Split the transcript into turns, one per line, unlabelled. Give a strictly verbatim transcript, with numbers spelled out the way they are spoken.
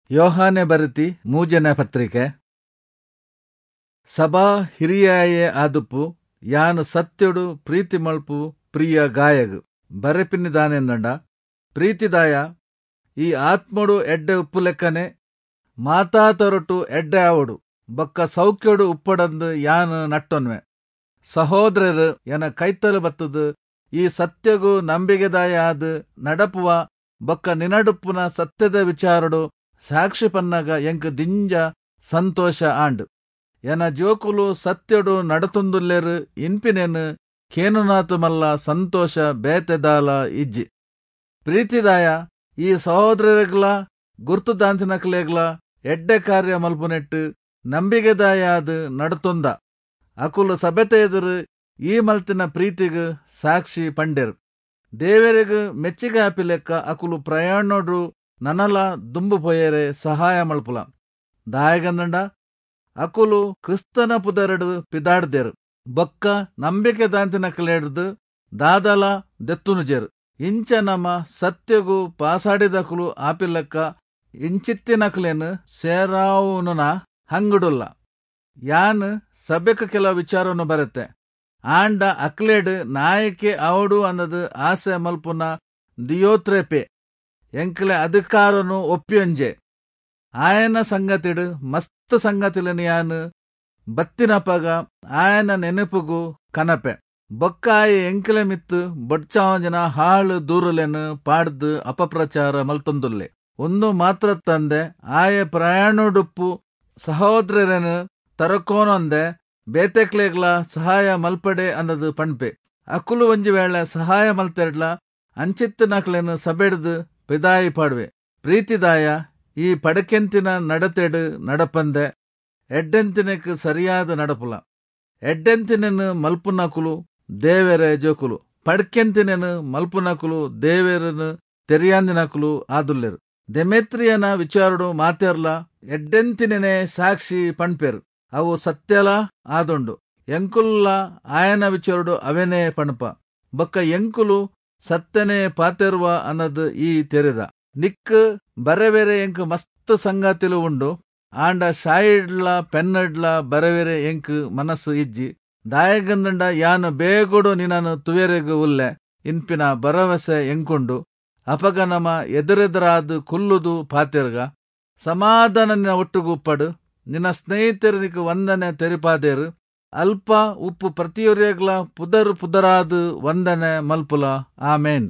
ಯೋಹಾನೆ ಬರೆತಿ ಮೂಜನೇ ಪತ್ರಿಕೆ. ಸಭಾ ಹಿರಿಯಾಯೆ ಆದುಪ್ಪು ಯಾನು ಸತ್ಯಡು ಪ್ರೀತಿ ಮಲ್ಪು ಪ್ರಿಯ ಗಾಯಗ್ ಬರೆಪಿನಿದಾನೆಂದಂಡ ಪ್ರೀತಿದಾಯ ಈ ಆತ್ಮಡು ಎಡ್ಡೆ ಉಪ್ಪು ಲೆಕ್ಕನೆ ಮಾತಾ ತರಟು ಎಡ್ಡೆ ಆವಡು ಬೊಕ್ಕ ಸೌಖ್ಯಡು ಉಪ್ಪಡಂದು ಯಾನು ನಟ್ಟೊನ್ವೆ. ಸಹೋದರರು ಎನ ಕೈತಲು ಬತ್ತದು ಈ ಸತ್ಯಗು ನಂಬಿಗೆದಾಯ ಆದ್ ನಡಪುವ ಬೊಕ್ಕ ನಿನಡುಪ್ಪುನ ಸತ್ಯದ ವಿಚಾರಡು ಸಾಕ್ಷಿ ಪನ್ನಗ ಎಂಕ್ ದಿಂಜ ಸಂತೋಷ ಆಂಡ್. ಎನ ಜೋಕುಲು ಸತ್ಯಡು ನಡತೊಂದುಲ್ಲೆರು ಇನ್ಪಿನೆನ್ ಕೇನುನಾತು ಮಲ್ಲ ಸಂತೋಷ ಬೇತೆದಾಲ ಇಜ್ಜಿ. ಪ್ರೀತಿದಾಯ ಈ ಸಹೋದರರೆಗ್ಲ ಗುರ್ತುದಾಂತಿನಕ್ಲೆಗ್ಲ ಎಡ್ಡೆ ಕಾರ್ಯ ಮಲ್ಪುನೆಟ್ಟು ನಂಬಿಗೆದಾಯಾದ್ ನಡತೊಂದ. ಅಕುಲು ಸಭೆತ ಎದುರು ಈ ಮಲ್ತಿನ ಪ್ರೀತಿಗ್ ಸಾಕ್ಷಿ ಪಂಡೆರು. ದೇವರಿಗ್ ಮೆಚ್ಚಿಗೆ ಆಪಿಲೆಕ್ಕ ಅಕುಲು ಪ್ರಯಾಣೋಡು ನನಲ ದುಂಬು ಪೋಯೆರೆ ಸಹಾಯ ಮಲ್ಪುಲ. ದಾಯೆಗಂದಂಡ ಅಕುಲು ಕ್ರಿಸ್ತನ ಪುದರಡು ಪಿದಾಡ್ದೆರು ಬೊಕ್ಕ ನಂಬಿಕೆ ದಾಂತಿನಕಲೆಡ್ದ್ ದಾದಲ ದೆತ್ತುನುಜೆರು. ಇಂಚ ನಮ ಸತ್ಯಗು ಪಾಸಾಡಿದಕುಲು ಆಪಿಲೆಕ್ಕ ಇಂಚಿತ್ತಿನಕಲೆನ್ ಸೇರಾವುನುನ ಹಂಗುಡುಲ್ಲ. ಯಾನ್ ಸಭೆಕ್ ಕೆಲ ವಿಚಾರನು ಬರೆತೆ, ಆಂಡ ಅಕ್ಲೆಡ್ ನಾಯಕೆ ಆವಡು ಅನ್ನದು ಆಸೆ ಮಲ್ಪುನ ದಿಯೋತ್ರೆಪೆ ಎಂಕ್ಲೆ ಅಧಿಕಾರನು ಒಪ್ಪಿಯೊಂಜೆ. ಆಯನ ಸಂಗತಿಡು ಮಸ್ತ್ ಸಂಗತಿಲೆನ್ ಯಾನ್ ಬತ್ತಿನಪಗ ಆಯನ ನೆನಪುಗು ಕನಪೆ. ಬೊಕ್ಕ ಆಯೆ ಎಂಕ್ಲೆ ಮಿತ್ತು ಬೊಡ್ಚಾವಂಜಿನ ಹಾಳು ದೂರುಲೆನ್ ಪಾಡ್ದು ಅಪಪ್ರಚಾರ ಮಲ್ತೊಂದುಲ್ಲೆ. ಒಂದು ಮಾತ್ರ ತಂದೆ ಆಯೆ ಪ್ರಯಾಣಡುಪ್ಪು ಸಹೋದರರೆನ್ ತರಕೋನೊಂದೆ ಬೇತೆಕ್ಲೆಗ್ಲ ಸಹಾಯ ಮಲ್ಪಡೆ ಅನ್ನದು ಪಣ್ಪೆ. ಅಕುಲು ಒಂಜಿ ವೇಳೆ ಸಹಾಯ ಮಲ್ತೆರ್ಡ್ಲ ಅಂಚಿತ್ತಿನಕ್ಲೆನ್ ಸಬೆಡ್ದು ಪಿದಾಯಿ ಪಾಡುವೆ. ಪ್ರೀತಿದಾಯ ಈ ಪಡಕೆಂತಿನ ನಡತೆಡು ನಡಪಂದೆ ಎಡ್ಡೆಂತಿನಕ್ ಸರಿಯಾದ ನಡಪುಲ. ಎಡ್ಡೆಂತಿನನ್ ಮಲ್ಪುನಕುಲು ದೇವೆರೆ ಜೋಕುಲು, ಪಡ್ಕೆಂತಿನನ್ ಮಲ್ಪುನಕುಲು ದೇವೆರನ್ ತೆರಿಯಾಂದಿನಕುಲು ಆದುಲ್ಲೆರು. ದೆಮೆತ್ರಿಯನ ವಿಚಾರಡು ಮಾತೆರ್ಲ ಎಡ್ಡೆಂತಿನೇ ಸಾಕ್ಷಿ ಪಣ್ಪೆರು, ಅವು ಸತ್ಯಲ ಆದುಂಡು. ಎಂಕುಲ್ಲ ಆಯನ ವಿಚಾರಡು ಅವೆನೇ ಪಣಪ. ಬೊಕ್ಕ ಎಂಕುಲು ಸತ್ಯನೇ ಪಾತೆರುವ ಅನ್ನದು ಈ ತೆರೆದ. ನಿಕ್ ಬರೆವೆರೆ ಎಂಕ್ ಮಸ್ತ್ ಸಂಗತಿಲು ಉಂಡು, ಆಂಡ ಶಾಯಿಡ್ಲ ಪೆನ್ನಡ್ಲ ಬರೆವೆರೆ ಎಂಕ್ ಮನಸ್ಸು ಇಜ್ಜಿ. ದಾಯೆಗಂದಂಡ ಯಾನು ಬೇಗೊಡು ನಿನನು ತುವೆರೆಗ್ ಉಲ್ಲೆ ಇನ್ಪಿನ ಭರವಸೆ ಎಂಕುಂಡು. ಅಪಗ ನಮ ಎದುರೆದುರಾದ್ ಕುಲ್ಲುದು ಪಾತೆರ್ಗ. ಸಮಾಧಾನ ನಿನ್ನ ಒಟ್ಟುಗು ಉಪ್ಪಡು. ನಿನ್ನ ಸ್ನೇಹಿತರು ನಿಕ್ ವಂದನೆ ತೆರಿಪಾದೇರು. ಅಲ್ಪ ಉಪ್ಪು ಪ್ರತಿಯೊರಿಯಗ್ಲ ಪುದರ್ ಪುದರಾದ್ ವಂದನೆ ಮಲ್ಪುಲ. ಆಮೇನ್.